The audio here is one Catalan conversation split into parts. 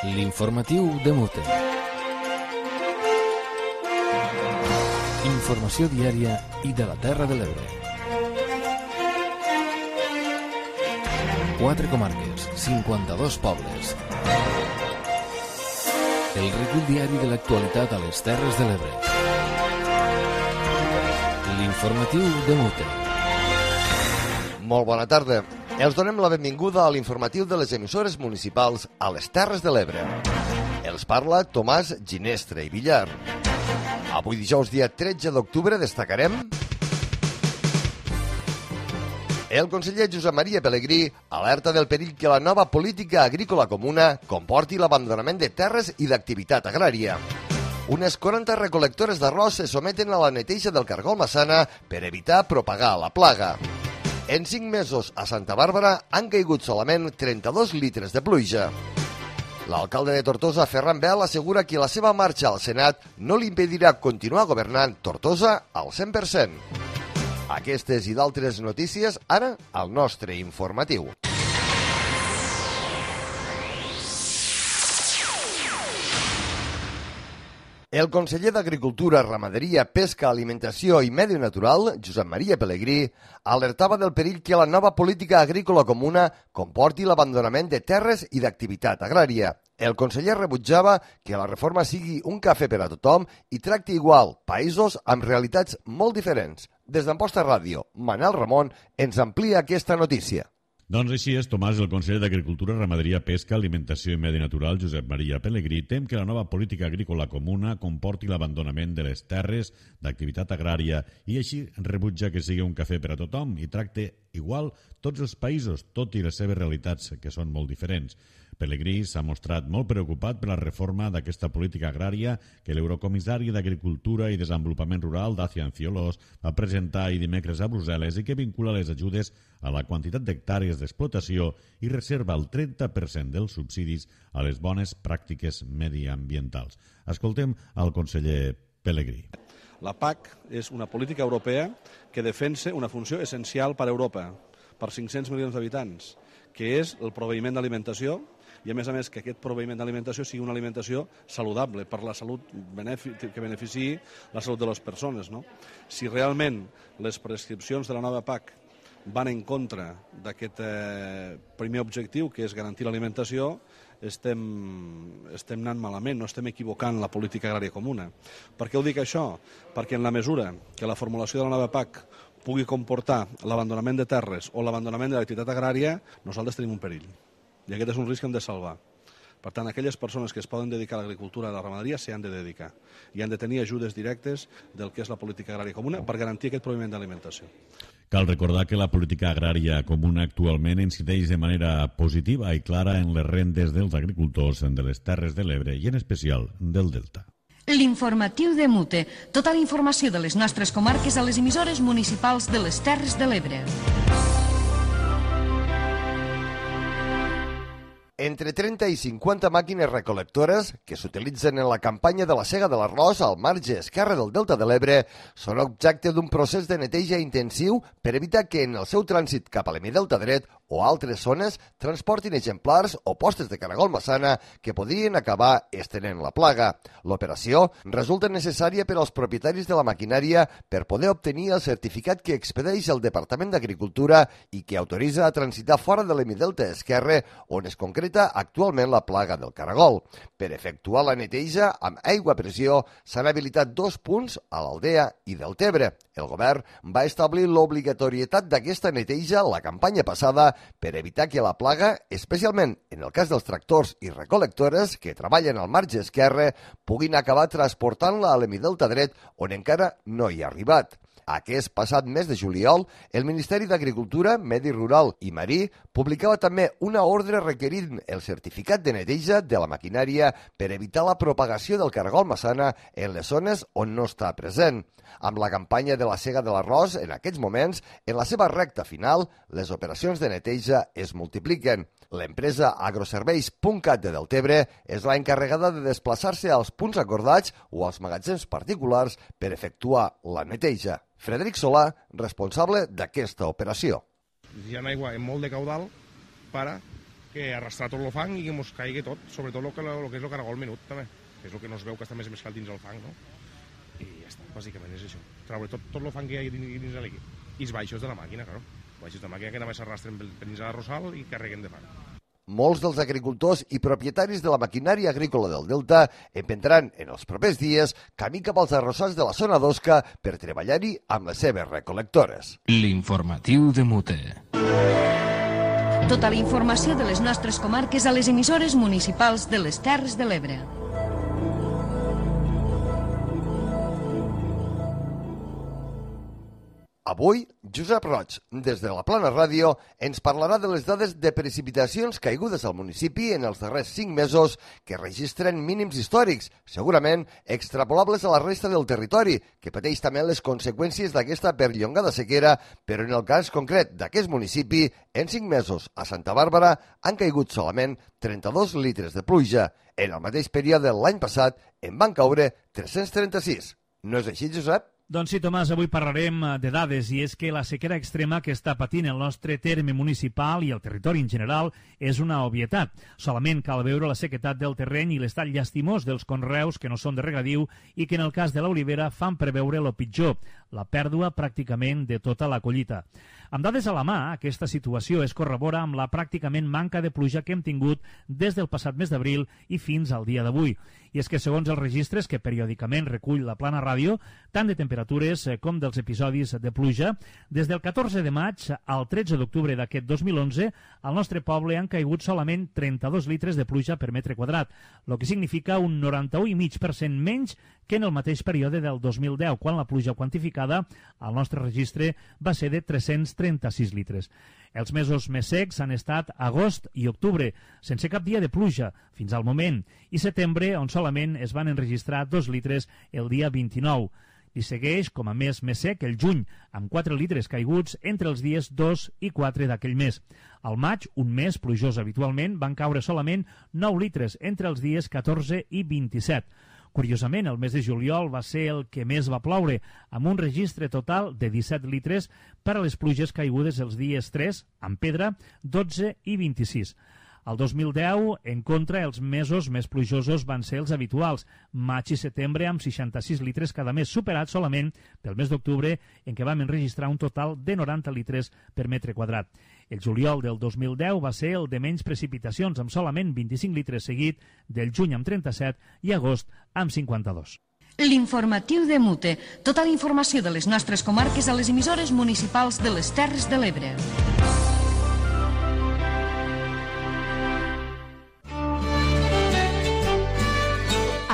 L'informatiu de Mute. Informació diària i de la Terra de l'Ebre. 4 comarques, 52 pobles. El recull diari de l'actualitat a les Terres de l'Ebre. L'informatiu de Mute. Molt bona tarda. Els donem la benvinguda a l'informatiu de les emissores municipals a les Terres de l'Ebre. Els parla Tomàs Ginestre i Villar. Avui dijous dia 13 d'octubre destacarem: el conseller Josep Maria Pelegrí alerta del perill que la nova política agrícola comuna comporti l'abandonament de terres i d'activitat agrària. Unes 40 recol·lectores d'arròs se someten a la neteja del cargol Massana per evitar propagar la plaga. En 5 mesos a Santa Bàrbara han caigut solament 32 litres de pluja. L'alcalde de Tortosa, Ferran Bel, assegura que la seva marxa al Senat no li impedirà continuar governant Tortosa al 100%. Aquestes i d'altres notícies ara al nostre informatiu. El conseller d'Agricultura, Ramaderia, Pesca, Alimentació i Medi Natural, Josep Maria Pelegrí, alertava del perill que la nova política agrícola comuna comporti l'abandonament de terres i d'activitat agrària. El conseller rebutjava que la reforma sigui un cafè per a tothom i tracti igual països amb realitats molt diferents. Des d'Amposta Ràdio, Manel Ramon ens amplia aquesta notícia. Doncs així és, Tomàs, el conseller d'Agricultura, Ramaderia, Pesca, Alimentació i Medi Natural, Josep Maria Pelegrí, tem que la nova política agrícola comuna comporti l'abandonament de les terres d'activitat agrària i així rebutja que sigui un cafè per a tothom i tracte igual tots els països, tot i les seves realitats, que són molt diferents. Pelegrí s'ha mostrat molt preocupat per la reforma d'aquesta política agrària que l'eurocomissari d'Agricultura i Desenvolupament Rural, Dacian Cioloş, va presentar ahir dimecres a Brussel·les i que vincula les ajudes a la quantitat d'hectàrees d'explotació i reserva el 30% dels subsidis a les bones pràctiques mediambientals. Escoltem al conseller Pelegrí. La PAC és una política europea que defensa una funció essencial per a Europa, per 500 milions d'habitants, que és el proveïment d'alimentació, i a més que aquest proveïment d'alimentació sigui una alimentació saludable per la salut, que beneficiï la salut de les persones. No? Si realment les prescripcions de la nova PAC van en contra d'aquest primer objectiu, que és garantir l'alimentació, estem anant malament, no estem equivocant la política agrària comuna. Per què ho dic això? Perquè en la mesura que la formulació de la nova PAC pugui comportar l'abandonament de terres o l'abandonament de l'activitat agrària, nosaltres tenim un perill. I aquest és un risc que hem de salvar. Per tant, aquelles persones que es poden dedicar a l'agricultura i a la ramaderia s'hi han de dedicar i han de tenir ajudes directes del que és la política agrària comuna per garantir aquest proveïment d'alimentació. Cal recordar que la política agrària comuna actualment incideix de manera positiva i clara en les rendes dels agricultors de les Terres de l'Ebre i en especial del Delta. L'informatiu de Mute. Tota la informació de les nostres comarques a les emissores municipals de les Terres de l'Ebre. Entre 30 i 50 màquines recol·lectores que s'utilitzen en la campanya de la sega de l'arròs al marge esquerre del Delta de l'Ebre són objecte d'un procés de neteja intensiu per evitar que en el seu trànsit cap a l'hemidelta dret o altres zones transportin exemplars o postes de caragol massana que podrien acabar estenent la plaga. L'operació resulta necessària per als propietaris de la maquinària per poder obtenir el certificat que expedeix el Departament d'Agricultura i que autoritza a transitar fora de l'hemidelta esquerre on es concreta actualment la plaga del caragol. Per efectuar la neteja amb aigua a pressió s'han habilitat 2 punts a l'Aldea i Deltebre. El govern va establir l'obligatorietat d'aquesta neteja la campanya passada per evitar que la plaga, especialment en el cas dels tractors i recol·lectores que treballen al marge esquerre, puguin acabar transportant-la a l'hemidelta dret on encara no hi ha arribat. Aquest passat mes de juliol, el Ministeri d'Agricultura, Medi Rural i Marí publicava també una ordre requerint el certificat de neteja de la maquinària per evitar la propagació del caragol massana en les zones on no està present. Amb la campanya de la sega de l'arròs, en aquests moments, en la seva recta final, les operacions de neteja es multipliquen. L'empresa agroserveis.cat de Deltebre és la encarregada de desplaçar-se als punts acordats o als magatzems particulars per efectuar la neteja. Frederic Solà, responsable d'aquesta operació. Hi ha aigua en molt de caudal per que arrastrar tot el fang i que ens caigui tot, sobretot el que és el caragol menut, també, que és el que no es veu que està més mesclat dins el fang, no? I ja està, bàsicament és això. Treure tot el fang que hi ha dins l'equip. I els baixos de la màquina, claro. Els baixos de la màquina que només s'arrastren per dins de la Rosal i carreguen de fang. Molts dels agricultors i propietaris de la maquinària agrícola del Delta emprendran en els propers dies camí cap als arrossars de la zona d'Osca per treballar-hi amb les seves recol·lectores. L'informatiu de Mute. Tota la informació de les nostres comarques a les emissores municipals de les Terres de l'Ebre. Avui, Josep Roig, des de la Plana Ràdio, ens parlarà de les dades de precipitacions caigudes al municipi en els darrers 5 mesos que registren mínims històrics, segurament extrapolables a la resta del territori, que pateix també les conseqüències d'aquesta perllongada sequera, però en el cas concret d'aquest municipi, en 5 mesos a Santa Bàrbara han caigut solament 32 litres de pluja. En el mateix període de l'any passat en van caure 336. No és així, Josep? Doncs sí, Tomàs, avui parlarem de dades i és que la sequera extrema que està patint el nostre terme municipal i el territori en general és una obvietat. Solament cal veure la sequetat del terreny i l'estat llastimós dels conreus que no són de regadiu i que en el cas de l'olivera fan preveure el pitjor, la pèrdua pràcticament de tota la collita. Amb dades a la mà, aquesta situació es corrobora amb la pràcticament manca de pluja que hem tingut des del passat mes d'abril i fins al dia d'avui. I és que segons els registres que periòdicament recull la Plana Ràdio, tant de temperatures com dels episodis de pluja, des del 14 de maig al 13 d'octubre d'aquest 2011, al nostre poble han caigut solament 32 litres de pluja per metre quadrat, el que significa un 91,5% menys que en el mateix període del 2010, quan la pluja quantificada al nostre registre va ser de 336 litres. Els mesos més secs han estat agost i octubre, sense cap dia de pluja, fins al moment, i setembre, on solament es van enregistrar 2 litres el dia 29. I segueix, com a mes més sec, el juny, amb 4 litres caiguts entre els dies 2 i 4 d'aquell mes. Al maig, un mes plujós habitualment, van caure solament 9 litres entre els dies 14 i 27. Curiosament, el mes de juliol va ser el que més va ploure, amb un registre total de 17 litres per a les pluges caigudes els dies 3, amb pedra, 12 i 26. Al 2010, en contra, els mesos més plujosos van ser els habituals, maig i setembre amb 66 litres cada mes, superat solament pel mes d'octubre, en què vam enregistrar un total de 90 litres per metre quadrat. El juliol del 2010 va ser el de menys precipitacions, amb solament 25 litres seguit, del juny amb 37 i agost amb 52. L'informatiu de Mute. Tota la informació de les nostres comarques a les emissores municipals de les Terres de l'Ebre.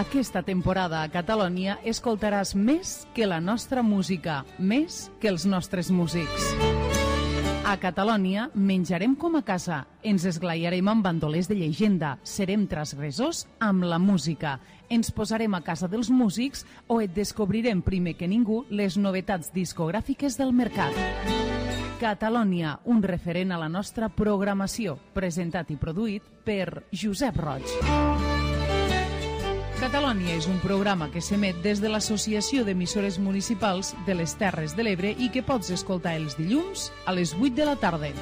Aquesta temporada a Catalunya escoltaràs més que la nostra música, més que els nostres músics. A Catalunya menjarem com a casa, ens esglaiarem amb bandolers de llegenda, serem transgressors amb la música, ens posarem a casa dels músics o et descobrirem primer que ningú les novetats discogràfiques del mercat. Catalunya, un referent a la nostra programació, presentat i produït per Josep Roig. Catalunya és un programa que s'emet des de l'Associació d'Emissores Municipals de les Terres de l'Ebre i que pots escoltar els dilluns a les 8 de la tarda.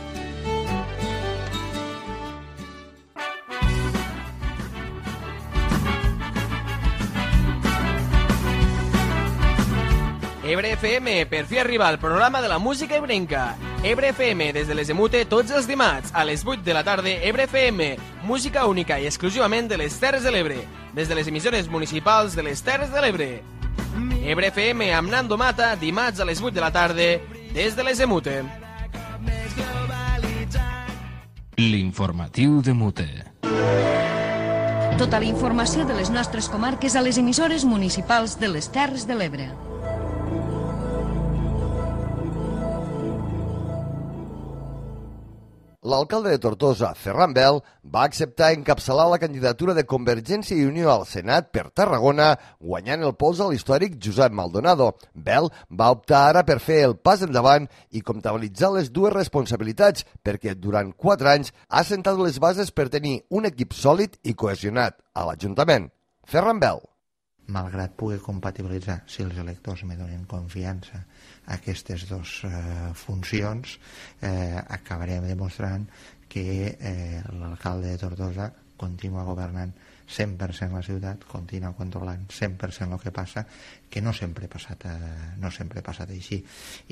Ebre FM, per fi arriba al programa de la música ebrenca. Ebre FM, des de les Emute, tots els dimarts, a les 8 de la tarda, Ebre FM, música única i exclusivament de les Terres de l'Ebre, des de les emissores municipals de les Terres de l'Ebre. Ebre FM amb Nando Mata, dimarts a les 8 de la tarda, des de les Emute. L'informatiu de Mute. Tota la informació de les nostres comarques a les emissores municipals de les Terres de l'Ebre. L'alcalde de Tortosa, Ferran Bel, va acceptar encapçalar la candidatura de Convergència i Unió al Senat per Tarragona, guanyant el pols a l'històric Josep Maldonado. Bel va optar ara per fer el pas endavant i comptabilitzar les dues responsabilitats, perquè durant 4 anys ha sentat les bases per tenir un equip sòlid i cohesionat a l'Ajuntament. Ferran Bel. Malgrat pugui compatibilitzar, si els electors me donen confiança, aquestes dues funcions, acabarem demostrant que l'alcalde de Tortosa continua governant 100% la ciutat, continua controlant 100% el que passa, que no sempre ha passat així.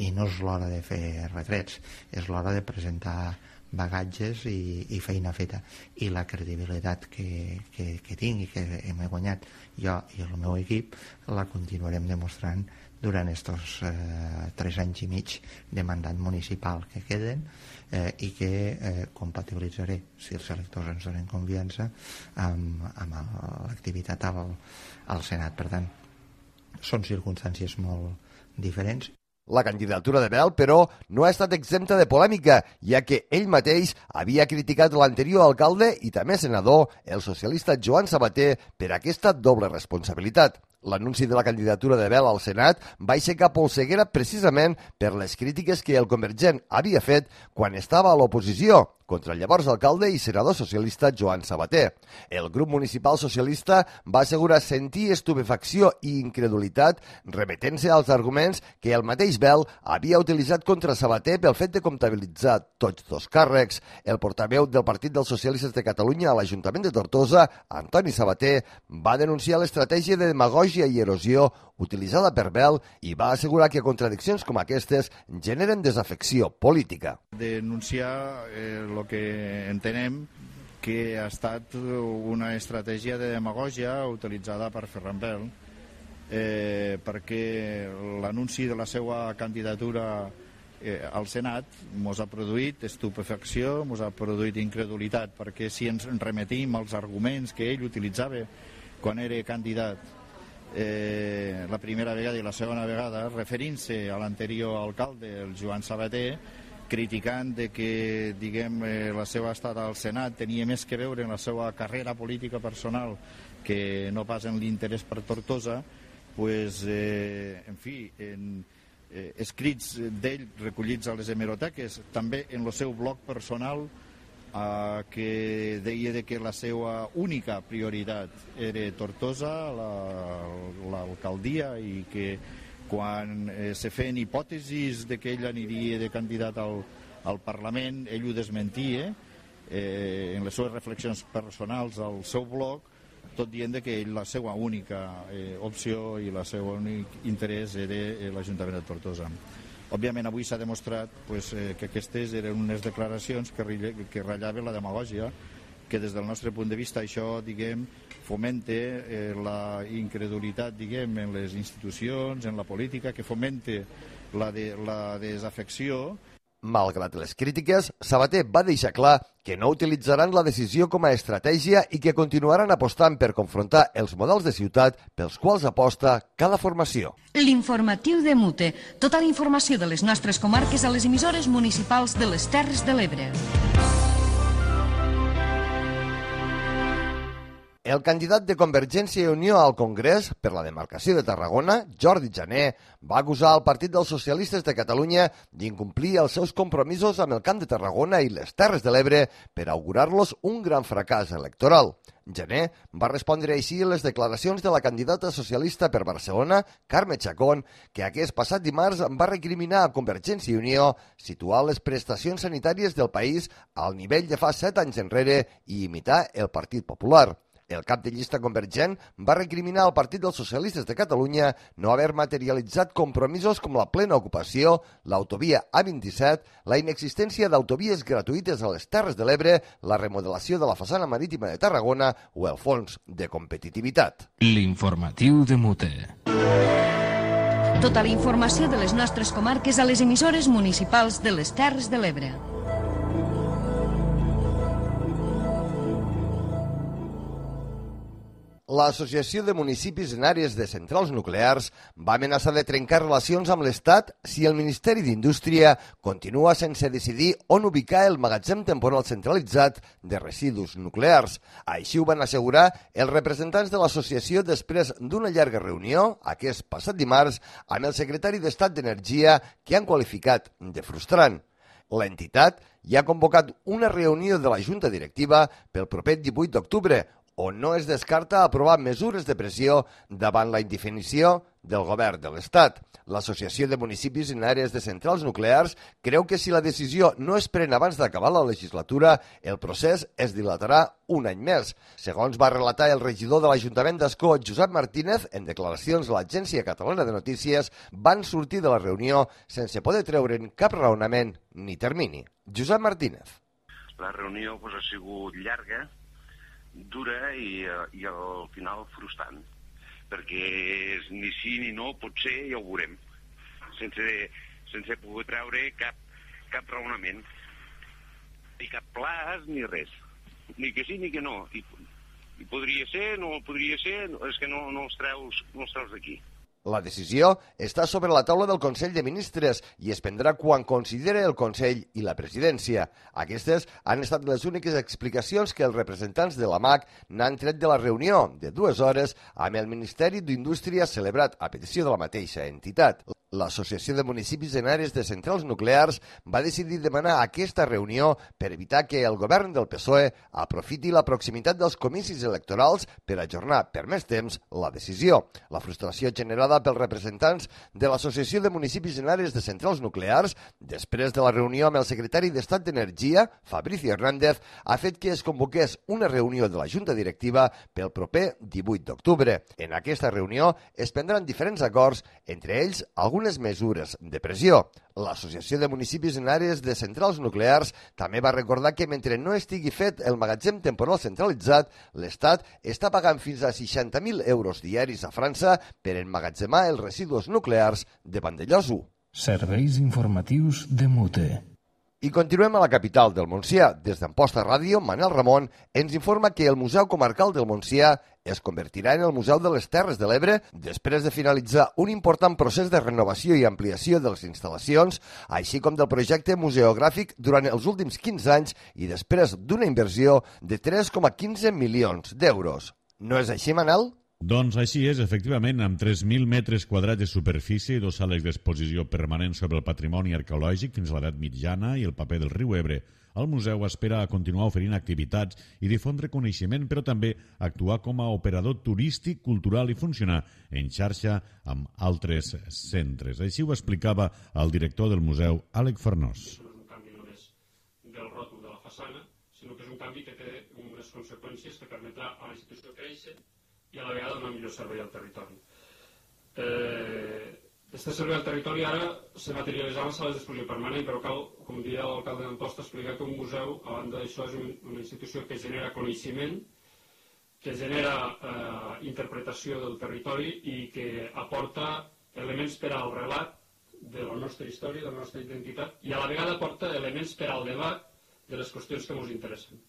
I no és l'hora de fer retrets, és l'hora de presentar bagatges i feina feta. I la credibilitat que tinc i que hem guanyat jo i el meu equip la continuarem demostrant durant aquests 3 anys i mig de mandat municipal que queden i que compatibilitzaré, si els electors ens donen confiança, amb l'activitat al Senat. Per tant, són circumstàncies molt diferents. La candidatura de Bel, però, no ha estat exempta de polèmica, ja que ell mateix havia criticat l'anterior alcalde i també senador, el socialista Joan Sabater, per aquesta doble responsabilitat. L'anunci de la candidatura de Bel al Senat va aixecar polseguera precisament per les crítiques que el convergent havia fet quan estava a l'oposició contra el llavors alcalde i senador socialista Joan Sabater. El grup municipal socialista va assegurar sentir estupefacció i incredulitat remetent-se als arguments que el mateix Bel havia utilitzat contra Sabater pel fet de comptabilitzar tots dos càrrecs. El portaveu del Partit dels Socialistes de Catalunya a l'Ajuntament de Tortosa, Antoni Sabater, va denunciar l'estratègia de demagògia i erosió utilitzada per Bel i va assegurar que contradiccions com aquestes generen desafecció política. Denunciar el que entenem que ha estat una estratègia de demagògia utilitzada per Ferran Bel perquè l'anunci de la seva candidatura al Senat mos ha produït estupefacció, mos ha produït incredulitat, perquè si ens remetim als arguments que ell utilitzava quan era candidat la primera vegada i la segona vegada, referint-se a l'anterior alcalde, el Joan Sabater, criticant de que, diguem, la seva estada al Senat tenia més que veure en la seva carrera política personal que no pas en l'interès per Tortosa, pues, en fi, en escrits d'ell recollits a les hemeroteques, també en el seu blog personal, que deia que la seva única prioritat era Tortosa, l'alcaldia, i que quan se feien hipòtesis de que ell aniria de candidat al Parlament, ell ho desmentia en les seves reflexions personals al seu blog, tot dient que ell la seva única opció i el seu únic interès era l'Ajuntament de Tortosa. Òbviament avui s'ha demostrat que aquestes eren unes declaracions que ratllaven la demagògia, que des del nostre punt de vista això, diguem, fomenta la incredulitat, diguem, en les institucions, en la política, que fomenta la desafecció. Malgrat les crítiques, Sabater va deixar clar que no utilitzaran la decisió com a estratègia i que continuaran apostant per confrontar els models de ciutat pels quals aposta cada formació. L'informatiu de Mute. Tota la informació de les nostres comarques a les emissores municipals de les Terres de l'Ebre. El candidat de Convergència i Unió al Congrés per la demarcació de Tarragona, Jordi Jané, va acusar el Partit dels Socialistes de Catalunya d'incomplir els seus compromisos amb el Camp de Tarragona i les Terres de l'Ebre per augurar-los un gran fracàs electoral. Jané va respondre així a les declaracions de la candidata socialista per Barcelona, Carme Chacón, que aquest passat dimarts va recriminar a Convergència i Unió situar les prestacions sanitàries del país al nivell de fa 7 anys enrere i imitar el Partit Popular. El cap de llista convergent va recriminar al Partit dels Socialistes de Catalunya no haver materialitzat compromisos com la plena ocupació, l'autovia A27, la inexistència d'autovies gratuïtes a les Terres de l'Ebre, la remodelació de la façana marítima de Tarragona o el fons de competitivitat. L'informatiu de Mute. Tota la informació de les nostres comarques a les emissores municipals de les Terres de l'Ebre. L'Associació de Municipis en Àrees de Centrals Nuclears va amenaçar de trencar relacions amb l'Estat si el Ministeri d'Indústria continua sense decidir on ubicar el magatzem temporal centralitzat de residus nuclears. Així ho van assegurar els representants de l'associació després d'una llarga reunió, aquest passat dimarts, amb el secretari d'Estat d'Energia, que han qualificat de frustrant. L'entitat ja ha convocat una reunió de la Junta Directiva pel proper 18 d'octubre, on no es descarta aprovar mesures de pressió davant la indefinició del govern de l'Estat. L'Associació de Municipis en Àrees de Centrals Nuclears creu que si la decisió no es pren abans d'acabar la legislatura, el procés es dilatarà un any més. Segons va relatar el regidor de l'Ajuntament d'Ascó, Josep Martínez, en declaracions a l'Agència Catalana de Notícies, van sortir de la reunió sense poder treure'n cap raonament ni termini. Josep Martínez. La reunió ha sigut llarga, dura i al final frustrant, perquè ni sí ni no, potser ja ho veurem, sense poder treure cap raonament, ni cap plaç ni res, ni que sí ni que no, i podria ser, no podria ser, és que no els treus d'aquí. La decisió està sobre la taula del Consell de Ministres i es prendrà quan considere el Consell i la presidència. Aquestes han estat les úniques explicacions que els representants de la MAC n'han tret de la reunió de 2 hores amb el Ministeri d'Indústria celebrat a petició de la mateixa entitat. L'Associació de Municipis en Àrees de Centrals Nuclears va decidir demanar aquesta reunió per evitar que el govern del PSOE aprofiti la proximitat dels comicis electorals per ajornar per més temps la decisió. La frustració generada pels representants de l'Associació de Municipis en Àrees de Centrals Nuclears, després de la reunió amb el secretari d'Estat d'Energia, Fabricio Hernández, ha fet que es convoqués una reunió de la Junta Directiva pel proper 18 d'octubre. En aquesta reunió es prendran diferents acords, entre ells algunes mesures de pressió. L'Associació de Municipis en Àrees de Centrals Nuclears també va recordar que mentre no estigui fet el magatzem temporal centralitzat, l'Estat està pagant fins a 60.000 euros diaris a França per emmagatzemar els residus nuclears de Vandellòs 1. Serveis informatius de Mute. I continuem a la capital del Montsià. Des d'Amposta Ràdio, Manel Ramon ens informa que el Museu Comarcal del Montsià es convertirà en el Museu de les Terres de l'Ebre després de finalitzar un important procés de renovació i ampliació de les instal·lacions, així com del projecte museogràfic durant els últims 15 anys i després d'una inversió de 3,15 milions d'euros. No és així, Manel? Doncs així és, efectivament, amb 3.000 metres quadrats de superfície i 2 sales d'exposició permanents sobre el patrimoni arqueològic fins a l'edat mitjana i el paper del riu Ebre, el museu espera continuar oferint activitats i difondre coneixement, però també actuar com a operador turístic, cultural i funcionar en xarxa amb altres centres. Així ho explicava el director del museu, Àlex Farnós. No és un canvi només del ròtol de la façana, sinó que és un canvi que té unes conseqüències que permetrà a la institució créixer i a la vegada donar millor servei al territori. Este servei al territori ara se materialitzarà en les sales d'exposició permanent, però cal, com diria l'alcalde d'Amposta, explicar que un museu, a banda d'això, és una institució que genera coneixement, que genera interpretació del territori i que aporta elements per al relat de la nostra història, de la nostra identitat, i a la vegada aporta elements per al debat de les qüestions que ens interessen.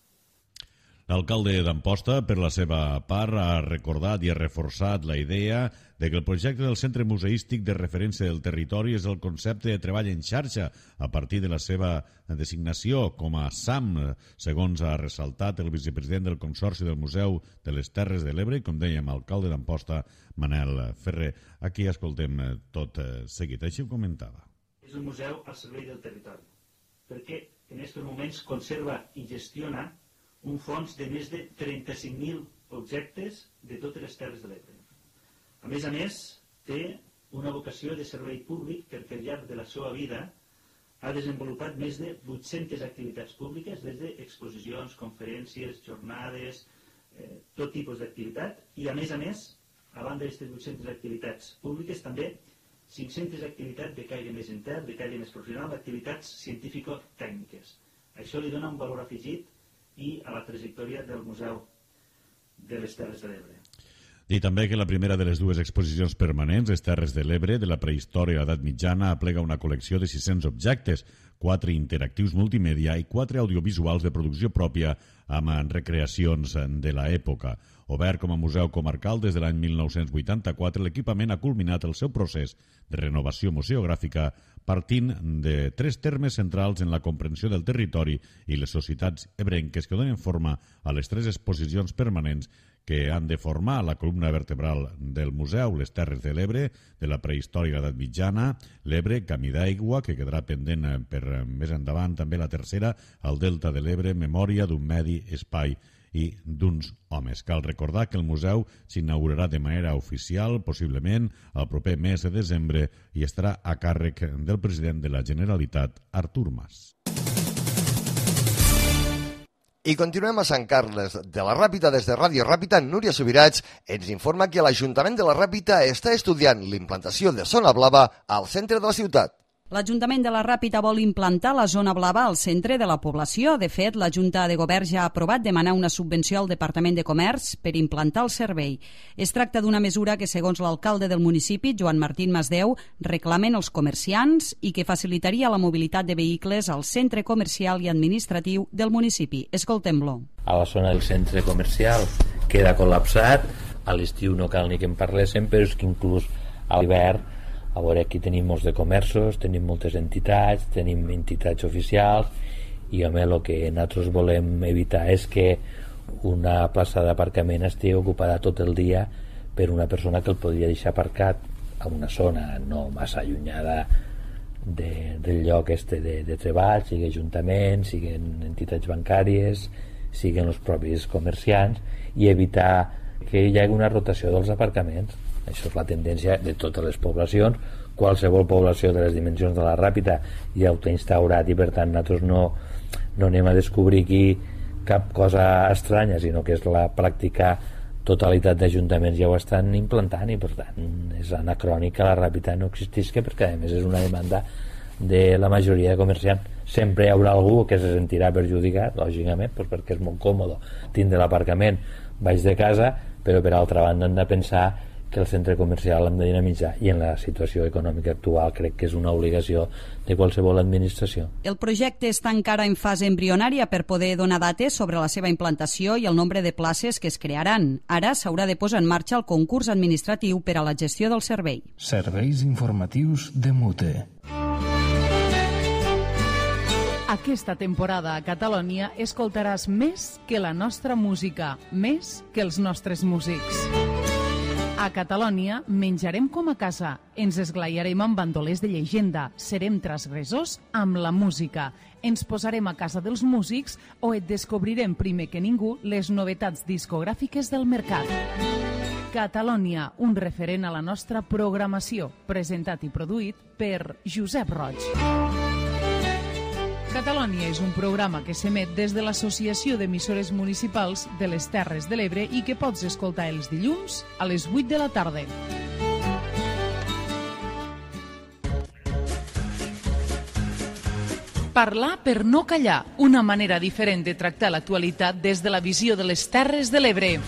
L'alcalde d'Amposta, per la seva part, ha recordat i ha reforçat la idea de que el projecte del Centre Museístic de Referència del Territori és el concepte de treball en xarxa a partir de la seva designació com a SAM, segons ha ressaltat el vicepresident del Consorci del Museu de les Terres de l'Ebre, com dèiem, alcalde d'Amposta, Manel Ferrer. Aquí escoltem tot seguit, així ho comentava. És un museu al servei del territori, perquè en aquests moments conserva i gestiona un fons de més de 35.000 objectes de totes les Terres de l'Ebre. A més, té una vocació de servei públic perquè al llarg de la seva vida ha desenvolupat més de 800 activitats públiques, des d'exposicions, conferències, jornades, tot tipus d'activitat, i a més, a banda d'aquestes 800 activitats públiques, també 500 activitats de caire més intern, de caire més professional, activitats científico-tècniques. Això li dona un valor afegit i a la trajectòria del Museu de les Terres de l'Ebre. I també que la primera de les 2 exposicions permanents, les Terres de l'Ebre, de la prehistòria a l'edat mitjana, aplega una col·lecció de 600 objectes, 4 interactius multimèdia i 4 audiovisuals de producció pròpia amb recreacions de l'època. Obert com a museu comarcal des de l'any 1984, l'equipament ha culminat el seu procés de renovació museogràfica partint de 3 termes centrals en la comprensió del territori i les societats ebrenques que donen forma a les 3 exposicions permanents que han de formar la columna vertebral del museu, les Terres de l'Ebre, de la prehistòria a l'edat mitjana, l'Ebre, Camí d'aigua, que quedarà pendent per més endavant, també la tercera, el Delta de l'Ebre, memòria d'un medi, espai i d'uns homes. Cal recordar que el museu s'inaugurarà de manera oficial, possiblement el proper mes de desembre, i estarà a càrrec del president de la Generalitat, Artur Mas. I continuem a Sant Carles de la Ràpita. Des de Ràdio Ràpita, Núria Subirats ens informa que l'Ajuntament de la Ràpita està estudiant l'implantació de zona blava al centre de la ciutat. L'Ajuntament de la Ràpita vol implantar la zona blava al centre de la població. De fet, la Junta de Govern ja ha aprovat demanar una subvenció al Departament de Comerç per implantar el servei. Es tracta d'una mesura que, segons l'alcalde del municipi, Joan Martín Masdeu, reclamen els comerciants i que facilitaria la mobilitat de vehicles al centre comercial i administratiu del municipi. Escoltem-lo. A la zona del centre comercial queda col·lapsat, a l'estiu no cal ni que en parléssim, però és que inclús a l'hivern, a veure, aquí tenim molts de comerços, tenim moltes entitats, tenim entitats oficials i home, el que nosaltres volem evitar és que una plaça d'aparcament estigui ocupada tot el dia per una persona que el podria deixar aparcat a una zona no massa allunyada del lloc de treball, sigui ajuntament, siguin entitats bancàries, siguin els propis comerciants, i evitar que hi hagi una rotació dels aparcaments. Això és la tendència de totes les poblacions. Qualsevol població de les dimensions de la Ràpita ja ho té instaurat i per tant nosaltres no anem a descobrir aquí cap cosa estranya, sinó que és la pràctica totalitat d'ajuntaments ja ho estan implantant i per tant és anacrònic que la Ràpita no existisca, perquè a més és una demanda de la majoria de comerciants. Sempre hi haurà algú que se sentirà perjudicat, lògicament, perquè és molt còmode tindre l'aparcament baix de casa, però per altra banda hem de pensar que el centre comercial l'hem de dinamitzar i en la situació econòmica actual crec que és una obligació de qualsevol administració. El projecte està encara en fase embrionària per poder donar dates sobre la seva implantació i el nombre de places que es crearan. Ara s'haurà de posar en marxa el concurs administratiu per a la gestió del servei. Serveis informatius de Mute. Aquesta temporada a Catalunya escoltaràs més que la nostra música, més que els nostres músics. A Catalunya menjarem com a casa, ens esglaiarem amb bandolers de llegenda, serem transgressors amb la música, ens posarem a casa dels músics o et descobrirem primer que ningú les novetats discogràfiques del mercat. Catalunya, un referent a la nostra programació, presentat i produït per Josep Roig. Catalunya és un programa que s'emet des de l'Associació d'Emissores Municipals de les Terres de l'Ebre i que pots escoltar els dilluns a les 8 de la tarda. Parlar per no callar, una manera diferent de tractar l'actualitat des de la visió de les Terres de l'Ebre.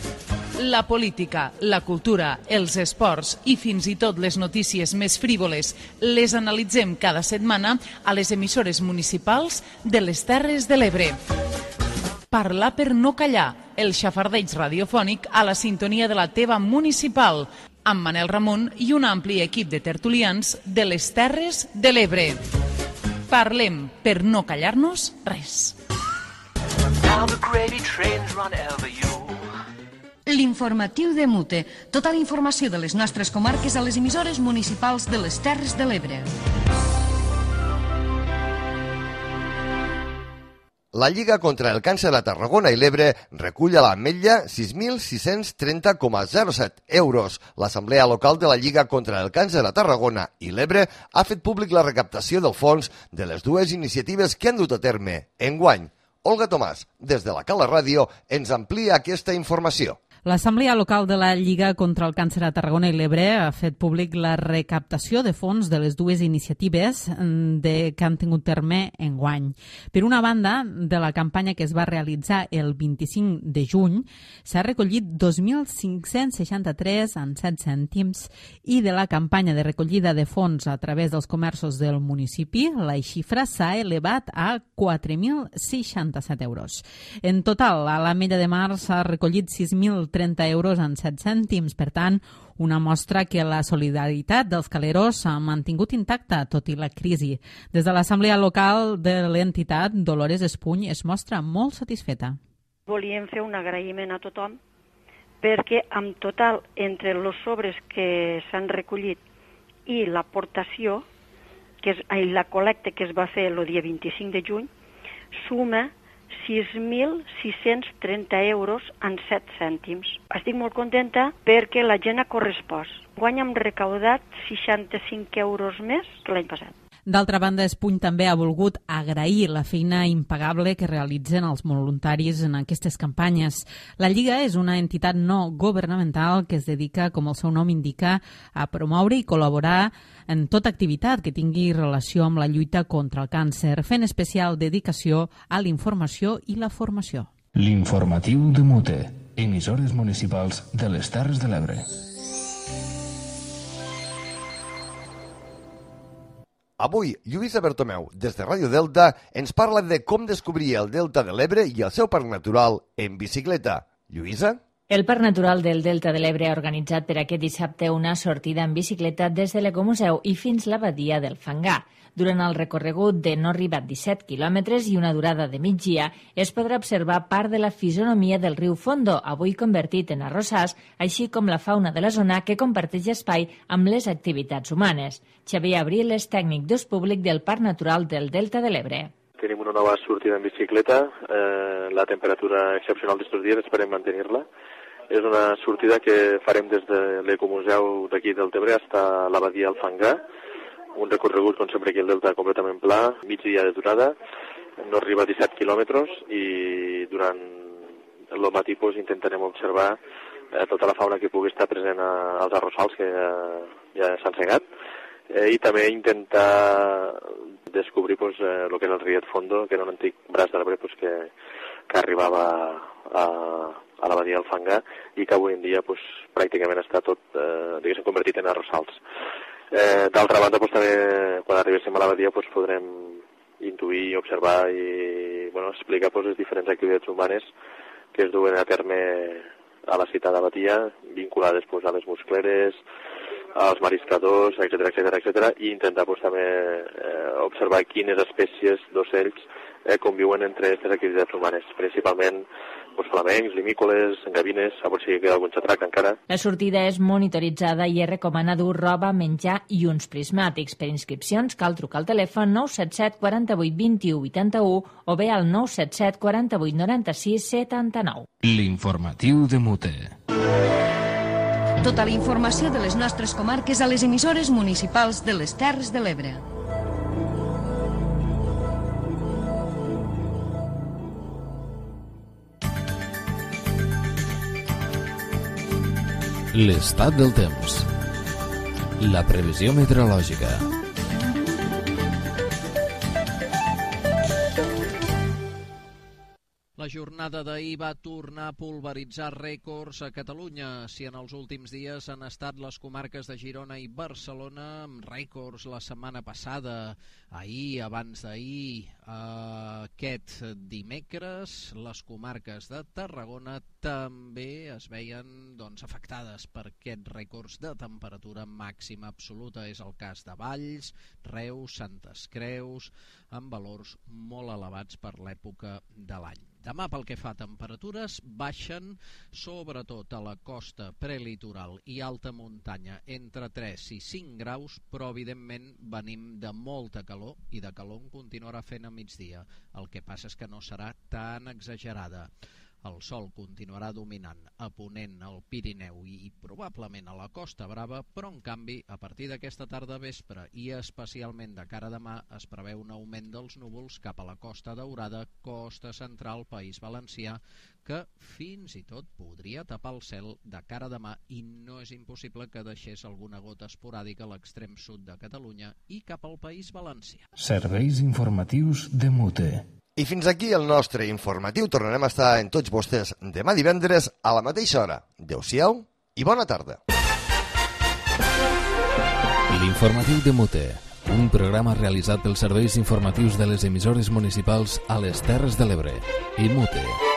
La política, la cultura, els esports i fins i tot les notícies més frívoles les analitzem cada setmana a les emissores municipals de les Terres de l'Ebre. Parlar per no callar, el xafardeig radiofònic a la sintonia de la teva municipal, amb Manel Ramon i un ampli equip de tertulians de les Terres de l'Ebre. Parlem per no callar-nos res. L'informatiu de Mute. Tota la informació de les nostres comarques a les emissores municipals de les Terres de l'Ebre. La Lliga contra el Càncer a Tarragona i l'Ebre recull a l'Ametlla 6.630,07 euros. L'Assemblea Local de la Lliga contra el Càncer a Tarragona i l'Ebre ha fet públic la recaptació del fons de les dues iniciatives que han dut a terme enguany. Olga Tomàs, des de la Cala Ràdio, ens amplia aquesta informació. L'Assemblea Local de la Lliga contra el Càncer a Tarragona i l'Ebre ha fet públic la recaptació de fons de les dues iniciatives que han tingut terme enguany. Per una banda, de la campanya que es va realitzar el 25 de juny, s'ha recollit 2.563,07 cèntims i de la campanya de recollida de fons a través dels comerços del municipi, la xifra s'ha elevat a 4.067 euros. En total, a l'Ametlla de Mar s'ha recollit 6.030 euros en 7 cèntims. Per tant, una mostra que la solidaritat dels caleros s'ha mantingut intacta tot i la crisi. Des de l'Assemblea Local de l'entitat, Dolores Espuny es mostra molt satisfeta. Volíem fer un agraïment a tothom perquè en total, entre els sobres que s'han recollit i l'aportació, la col·lecta que es va fer el dia 25 de juny, suma 6.630 euros en 7 cèntims. Estic molt contenta perquè la gent ha correspost. Guany hem recaudat 65 euros més que l'any passat. D'altra banda, Espuny també ha volgut agrair la feina impagable que realitzen els voluntaris en aquestes campanyes. La Lliga és una entitat no governamental que es dedica, com el seu nom indica, a promoure i col·laborar en tota activitat que tingui relació amb la lluita contra el càncer, fent especial dedicació a la informació i la formació. L'informatiu de Mute, emissores municipals de les Terres de l'Ebre. Avui, Lluïsa Bertomeu, des de Ràdio Delta, ens parla de com descobrir el Delta de l'Ebre i el seu parc natural en bicicleta. Lluïsa? El Parc Natural del Delta de l'Ebre ha organitzat per aquest dissabte una sortida en bicicleta des de l'Ecomuseu i fins la badia del Fangar. Durant el recorregut de no arribat 17 quilòmetres i una durada de migdia, es podrà observar part de la fisonomia del riu Fondo, avui convertit en arrossars, així com la fauna de la zona que comparteix espai amb les activitats humanes. Xavier Abril és tècnic d'ús públic del Parc Natural del Delta de l'Ebre. Tenim una nova sortida en bicicleta, la temperatura excepcional d'estos dies esperem mantenir-la. És una sortida que farem des de l'Ecomuseu d'aquí del Tebre fins a la badia del Fangar, un recorregut, com sempre, aquí al Delta completament pla, mig dia de durada, no arriba a 17 quilòmetres i durant el matí intentarem observar tota la fauna que pugui estar present als arrossals que ja s'han segat i també intentar descobrir el que és el riet Fondo, que era un antic braç de l'Ebre que arribava a la badia del Fangar i que avui en dia pràcticament està tot convertit en arrossals. D'altra banda, també, quan arribéssim a la badia, podrem intuir, observar i explicar les diferents activitats humanes que es duen a terme a la citada badia, vinculades a les muscleres, als mariscadors, etc. i intentar també observar quines espècies d'ocells conviuen entre aquestes activitats humanes, principalment flamencs, limícoles, gavines, a veure si queda algun xatrac encara. La sortida és monitoritzada i es recomana dur roba, menjar i uns prismàtics. Per inscripcions cal trucar al telèfon 977 48 21 81 o bé al 977 48 96 79. L'informatiu de Mute. Tota la informació de les nostres comarques a les emissores municipals de les Terres de l'Ebre. L'estat del temps. La previsió meteorològica. La jornada d'ahir va tornar a pulveritzar rècords a Catalunya. Si en els últims dies han estat les comarques de Girona i Barcelona amb rècords la setmana passada, ahir, abans d'ahir, aquest dimecres, les comarques de Tarragona també es veien afectades per aquests rècords de temperatura màxima absoluta. És el cas de Valls, Reus, Santes Creus, amb valors molt elevats per l'època de l'any. Demà, pel que fa a temperatures, baixen sobretot a la costa prelitoral i alta muntanya entre 3 i 5 graus, però evidentment venim de molta calor i de calor en continuarà fent a migdia. El que passa és que no serà tan exagerada. El sol continuarà dominant a ponent al Pirineu i probablement a la Costa Brava, però en canvi a partir d'aquesta tarda vespre i especialment de cara a demà es preveu un augment dels núvols cap a la Costa Daurada, Costa Central, País Valencià, que fins i tot podria tapar el cel de cara a demà i no és impossible que deixés alguna gota esporàdica a l'extrem sud de Catalunya i cap al País Valencià. Serveis informatius de Mute. I fins aquí el nostre informatiu. Tornarem a estar en tots vostès demà divendres a la mateixa hora. Adéu-siau i bona tarda. L'informatiu de Mute, un programa realitzat pels serveis informatius de les emissores municipals a les Terres de l'Ebre i Mute.